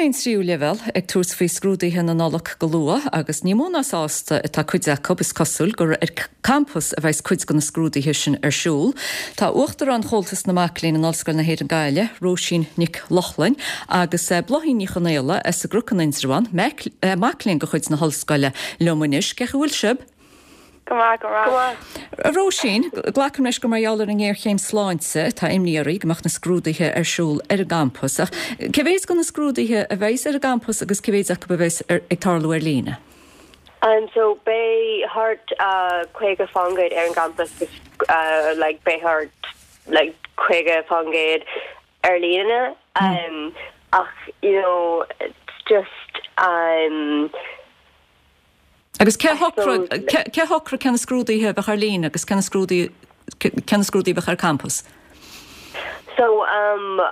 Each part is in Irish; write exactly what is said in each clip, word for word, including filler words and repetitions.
léinn tríú leibhéal ag tabhairt faoi scrúduithe na Nollag go luath agus ní mó ná sásta atá cuid acu is cosúil gur ar campas a bheas cuid de na scrúduithe sin ar siúl. Tá Uachtarán Chomhaltas na Mac Léinn in Ollscoil na hÉireann Gaillimh, Róisín Nic Lochlainn agus eh, Bláithín Ní Chonaola as an gCnoc in Indreabhán, mac léinn de chuid na hollscoile liom anois, cén chaoi a bhfuil sibh? Go maith go maith. Róisín, glacaim leis gur mar gheall ar an ngéarchéim sláinte tá imní oraibh go mbeadh na scrúduithe ar siúl ar an gcampas. Ach cé mhéad de na scrúduithe a bheas ar an gcampas agus cé mhéad acu a bheas ag tarlú ar líne? Um, so beidh thart uh, caoga faoin gcéad ar an gcampas uh, like beidh thart like caoga faoin gcéad ar líne um, ach you know it's just um, Agus cé shocraigh cé na scrúduithe a bheadh ar líne agus cé na scrúduithe a bheadh ar campas? So um,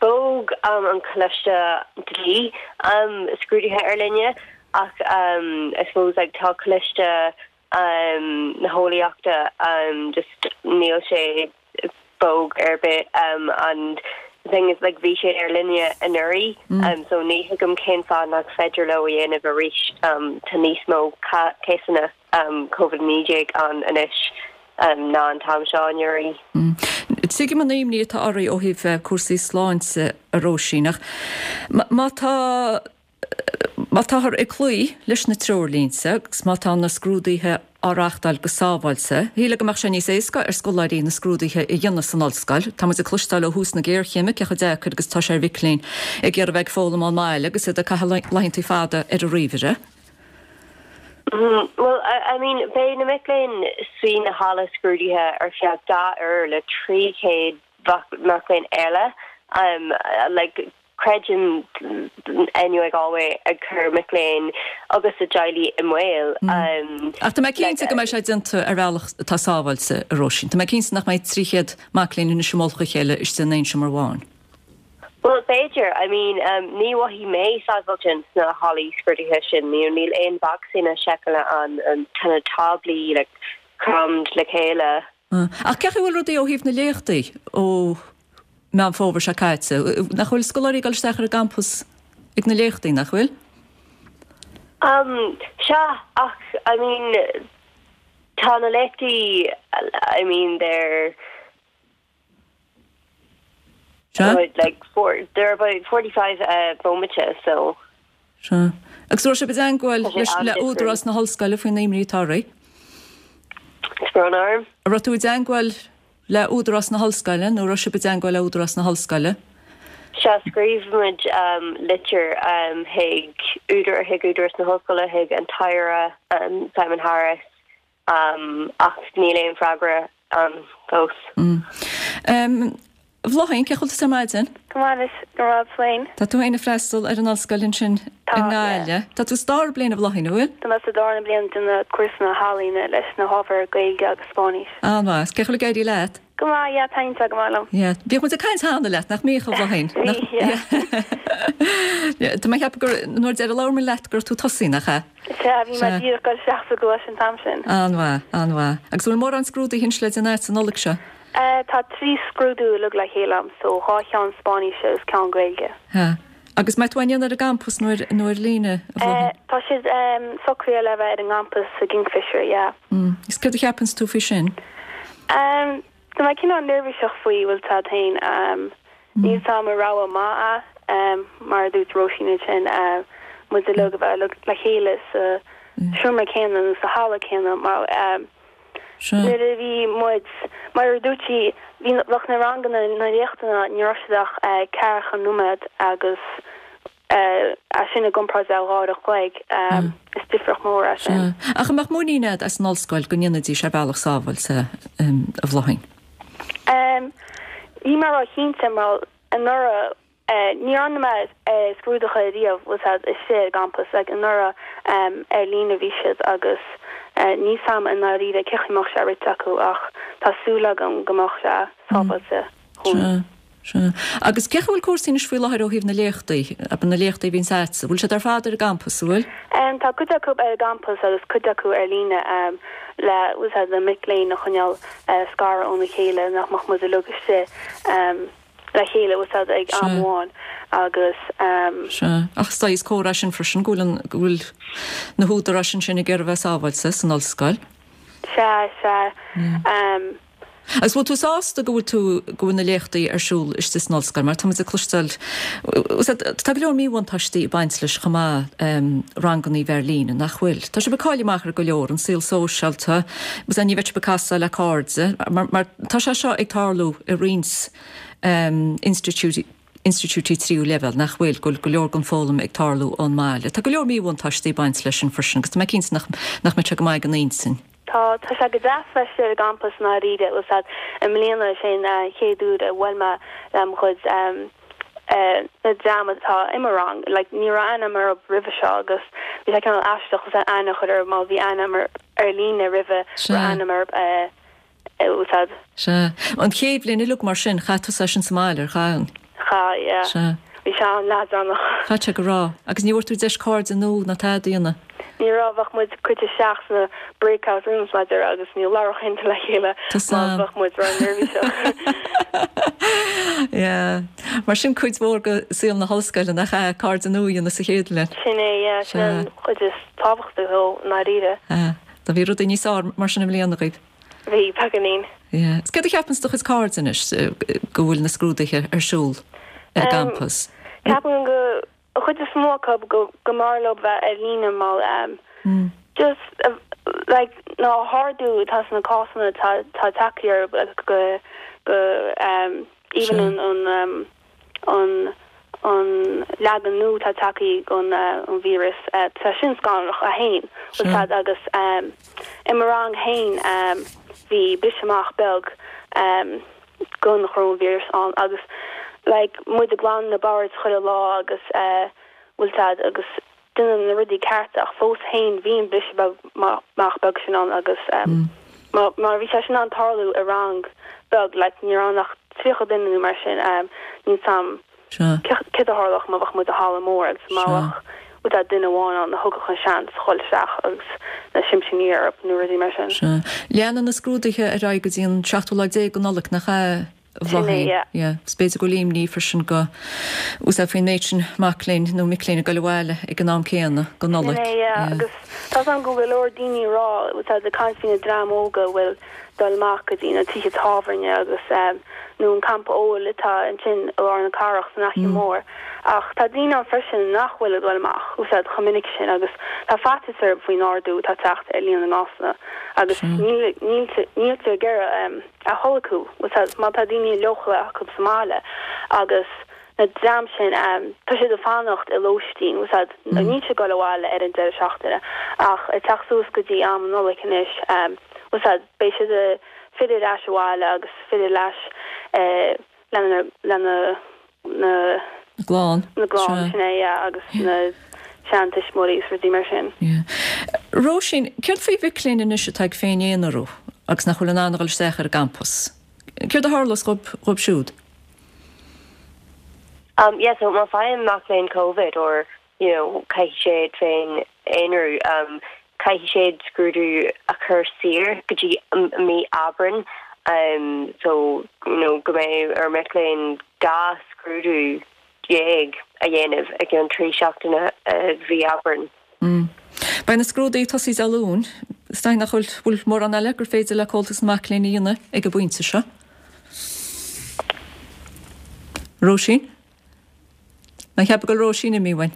bhog um, an Coláiste Dlí um, scrúduithe ar líne ach um, I suppose like tá Coláiste um, na hEolaíochta um, just níl sé bog ar bith um, and the thing is like bhí sé ar líne anuraidh mm. um, so ní thuigim cén fáth nach féidir leo a dhéanamh arís um, tá níos mó cásanna um, COVID naoi déag ann anois um, ná an t-am seo anuraidh. Mm. Tuigim an imní atá oraibh ó thaobh eh, cúrsaí sláinte a Róisín ach má tá má táthar ag cloí leis na treoirlínte agus má tá na scrúduithe á reáchtáil go sábháilte, Shílfeá go mbeadh sé níos éasca ar scoláirí na scrúduithe a dhéanamh san ollscoil, Tá muid ag cloisteáil ó thús na géarchéime cé chomh deacair agus tá sé ar mhic léinn ag iarraidh bheith ag foghlaim ón mbaile agus iad ag caitheamh laethanta fada ar an ríomhaire. Mm, well, I, I mean, beidh na mic léinn sna halla scrúduithe ar feadh dhá uair le trí chéad mac léinn eile. Um, like, creidim NUI Galway ag cur mic léinn agus a dteaghlaigh i mbaol. Mm. Um, Ach tá mé cinnte go mbeidh sé déanta ar bhealach atá sábháilte a Róisín. Tá mé cinnte nach mbeidh trí chéad mac léinn ina mullach a chéile istigh in aon seomra amháin. Well b'fhéidir I mean um, ní mhothaigh mé sábháilte sna hallaí scrúduithe sin ní níl aon bhacsaí seiceála ann an tá na táblaí like, crammed le chéile. Uh, ach cén chaoi a bhfuil rudaí ó thaobh na léachtaí ó Meán Fómhair seo caite, nach bhfuil scoláirí ag dul isteach ar an gcampas ag na léachtaí nach bhfuil? Um, sea ach I mean tá na léachtaí I mean they're about, like four, they're about forty-five uh, bomaite so Sea. Agus raibh sibh i dteagmháil le údarás na hollscoile faoin imní atá oraibh? Brón orm? Raibh tú i dteagmháil le údarás na hollscoile nó raibh sibh i dteagmháil le údarás na hollscoile? Sea scríobh muid um, litir um, chuig údar chuig údarás na hollscoile chuig an tAire um, Simon Harris um, ach níl aon freagra um, fós. Mm. Um, Bláithín, cén chaoi a bhfuil tú ar maidin? Go maith go raibh féin. Tá tú féin ag freastal ar an ollscoil ansin i nGaillimh. Tá tú sa dara bliain a Bhláithín, an bhfuil? Tá mé sa dara bliain de na cúrsa na healaíona leis na hábhair Gaeilge agus Spáinnis. An-mhaith, cén chaoi a bhfuil ag éirí leat? Go maith, yeah, taitníonn sé go maith liom. Yeah. Bhíodh muid ag caint cheana leat, nach mbíodh a Bhláithín? Bhí, yeah. Tá mé ag ceapadh gur nuair deireadh labhair mé leat go raibh tú ag tosaí, nach ea? Sea, bhí mé díreach ag dul isteach sa gcoláiste an t-am sin. An-mhaith, an-mhaith. Agus bhfuil mórán scrúduithe anois le déanamh agat an Nollaig seo? Uh, tá trí scrúdú uilig le chéile agam, so dhá cheann Spáinnise agus ceann Gaeilge. Ha. Agus mbeidh tú á ndéanamh ar an gcampas nó ar, nó ar líne, a Bhláithín? Uh, tá siad um, socraithe le bheith ar an gcampas sa Kingfisher, yeah. Mm. Is céard a cheapann tú faoi sin? Um, tá mé cineál neirbhíseach faoi bhfuil tá féin um, níl a fhios agam an rogha maith é, um, mar a dúirt Róisín ansin uh, muid uilig a bheith le le chéile sa seomra céanna nó sa halla céanna mar um, Nuair a bhí muid, mar a dúirt sí, bhí bheadh na ranganna na léachtanna ní raibh siad ach ceathracha nóiméad agus é sin i gcomparáid le dhá uair a chloig, is difríocht mór é sin. Ach an mbeadh muinín agat as an ollscoil go ndéanfaidís ar bhealach sábháilte, a Bhláithín? Níl mé róchinnte mar anuraidh Ní dhearna mé scrúduithe riamh bhfuil a fhios agat istigh ar an gcampas like anuraidh ar líne bhí siad agus níl a fhios agam i ndáiríre cén chaoi a mbeadh sé rite acu ach tá súil agam go mbeadh sé sábháilte dhúinn. Sea, sea. Agus cén chaoi a bhfuil cúrsaí anois faoi láthair ó thaobh na léachtaí, abair na léachtaí a bhíonns agatsa, bhfuil siad ar fad ar an gcampas, an bhfuil? Tá cuid acu ar an gcampas agus cuid acu ar líne le bhfuil a fhios agat na mic léinn a choinneáil scartha óna chéile nach mbeadh muid uilig istigh. le chéile bhfuil 's a'd ag am amháin agus um. Sea. Ach is dóigh is comhartha é sin freisin go bhfuil an, go bhfuil na húdaráis ansin ag iarraidh a bheith sábháilte san ollscoil. Sea, sea. Um. Agus bhfuil tú sásta go bhfuil tú, go bhfuil na léachtaí ar siúl istigh san ollscoil mar tá muid ag cloisteáil, tá go leor míbhuntáistí ag baint leis chomh maith, ranganna ar líne, nach bhfuil? Tá sibh ag cailleadh amach ar go leor, an saol sóisialta, agus ní bheidh sibh ag casadh le cairde, mar, mar tá sé seo ag tarlú i roinnt institiúidí, institiúidí tríú leibhéal, nach bhfuil, go bhfuil go leor den foghlaim ag tarlú ón mbaile. Tá go leor míbhuntáistí ag baint leis sin freisin agus tá mé cinnte nach, nach mbeidh sé go maith don intinn. Tá, tá sé go deas bheith istigh ar an gcampas i ndáiríre, bhfuil 's a'd, i mbliana is é an chéad uair a bhuail mé le mo chuid na dream atá i mo rang, like ní raibh aithne a'm orthu roimhe seo agus bhí sé cineál aisteach bhfuil 's a'd aithne a chur orthu má bhí aithne a'm ar líne roimhe raibh aithne a'm orthu bhfuil 's a'd. Sea. An chéad bhliain uilig mar sin, chaith tusa é sin sa mbaile, ar chaith? Chaith, yeah. Sea. Bhí sé an-leadránach. Chaithfidh sé go raibh. Agus ní bhfuair tú deis cairde nua ná tada a dhéanamh? Ní raibh, bheadh muid curtha isteach sna breakout rooms mar a déarfá agus ní labhródh aon duine le chéile mar bheadh muid ró-neirbhíseach. Yeah. Mar sin cuid mhór de saol na hollscoile nach ea, cairde nua a dhéanamh sa chéad bhliain. Sin é, yeah, sin an chuid is tábhachtaí dhó i ndáiríre. Ah, do bhí rudaí níos fearr mar sin i mbliana agaibh? Bhí, beagáinín. Yeah. Is céard a cheapanns do chuid cairde anois go bhfuil na scrúduithe ar siúl ar an gcampas? Ceapaim go an chuid is mó acu go go mb'fhearr leo bheith ar líne mar just like na hardú atá sna cásanna tá tá tagtha ar go go even an an an an leagan nua atá tagtha den an víreas tá sin scanrach é féin bhfuil 's a'd agus i mo rang féin bhí briseadh amach beag den choróinvíreas ann agus like muid ag glanadh na boird chuile lá agus bhfuil 's a'd agus déanamh na rudaí cearta ach fós féin bhí an briseadh beag amach beag sin ann agus má má bhí sé sin in ann tarlú i rang beag like ní raibh ann ach tríocha duine nó mar sin níl 's a'm céard a tharlódh má bheadh muid i halla mór agus má bheadh bhfuil 's a'd duine amháin ann a thugadh an seans dhul isteach agus na simptí orthu nó rudaí mar sin. Sea. Leanann na scrúduithe ar aghaidh go dtí an seachtú lá déag de Nollaig, nach ea, a Sin é, Bhláithín? yeah. Yeah. Is b'fhéidir go bhfuil imní freisin go bhfuil 's a'd faoin méid sin mac léinn nó mic léinn ag dul abhaile ag an am céanna go Sin Nollaig. é, yeah. Yeah. Agus tá 's a'm go bhfuil go leor daoine ag rá, bhfuil 's a'd ag caint faoi na dream óga a bhfuil dul amach go dtí na tithe tábhairne agus nó an campa óil atá ansin i lár na cathrach san Fhaiche Mhór. Ach tá daoine ann freisin nach bhfuil ag dul amach, bhfuil 's a'd, chomh minic sin agus tá faitíos orthu faoin ardú atá ag teacht ar líon na gcásanna agus níl níltear ag iarraidh a tholgú, bhfuil 's a'd, má tá daoine leochaileach acu sa mbaile agus na dream sin tá siad ag fanacht i lóistín, bhfuil 's a'd, níl siad ag dul abhaile ar an deireadh seachtaine ach ag teacht suas go dtí am na Nollag anois, bhfuil 's a'd, beidh siad ag filleadh ar ais abhaile agus filleadh ar ais lena lena na Na gclann. Na gclann, sin é, yeah, agus na seantuismitheoirí agus rudaí mar sin. Yeah. Róisín, céard faoi mhic léinn anois atá ag féin-aonarú agus nach bhfuil in ann a dhul isteach ar an gcampas? Céard a tharlós dhóibh siúd? Um, yeah, so má faigheann mac léinn COVID or you know, caithfidh siad féin aonrú, um, caithfidh siad scrúdú a chur siar go dtí mí Aibreán, um, so you know, go mbeidh ar mic léinn dhá scrúdú déag a dhéanamh i gceann trí seachtaine uh, mhí Aibreán. Mm. Beidh na scrúduithe ag tosaí Dé Luain, is dóigh nach bhfuil bhfuil mórán eile gur féidir le Comhaltas na Mac Léinn a dhéanamh ag an bpointe seo. Róisín? Mé ag ceapadh go bhfuil Róisín imithe uainn.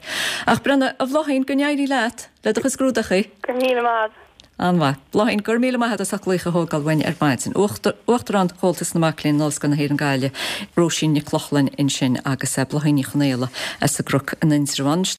Ach breathnaigh, a Bhláithín, go n-éirí leat le do chuid scrúdachaí. Go raibh míle maith agat. An-mhaith. Bláithín, go raibh míle maith agat as ucht glaoch a thógáil uainn ar maidin. Uachtarán Chomhaltas na Mac Léinn in Ollscoil na hÉireann Gaillimh, Róisín Nic Lochlainn ansin agus Bláithín Ní Chonaola as an gCnoc in Indreabhán.